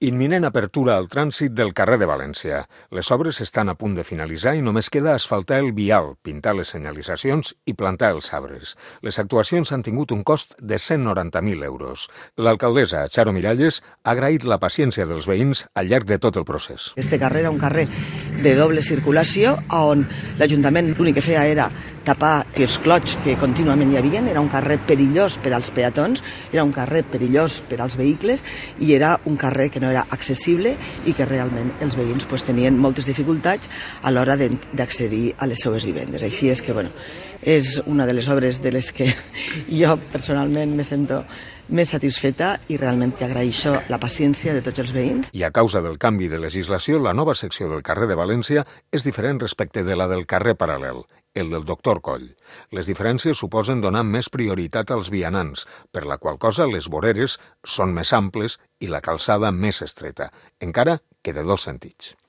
Imminent apertura al trànsit del carrer de València. Les obres estan a punt de finalitzar i només queda asfaltar el vial, pintar les senyalitzacions i plantar els arbres. Les actuacions han tingut un cost de 190.000 euros. L'alcaldessa, Charo Miralles, ha agraït la paciència dels veïns al llarg de tot el procés. Este carrer era un carrer de doble circulació on l'Ajuntament l'únic que feia era tapar els clots que contínuament hi havia. Era un carrer perillós per als peatons, era un carrer perillós per als vehicles i era un carrer que no era accessible i que realment els veïns tenien moltes dificultats a l'hora d'accedir a les seues vivendes. Així és que, és una de les obres de les que jo personalment me sento més satisfeta i realment que agraeixo la paciència de tots els veïns. I a causa del canvi de legislació, la nova secció del carrer de València és diferent respecte de la del carrer paral·lel, el del Doctor Coll. Les diferències suposen donar més prioritat als vianants, per la qual cosa les voreres són més amples i la calçada més estreta, encara que de dos sentits.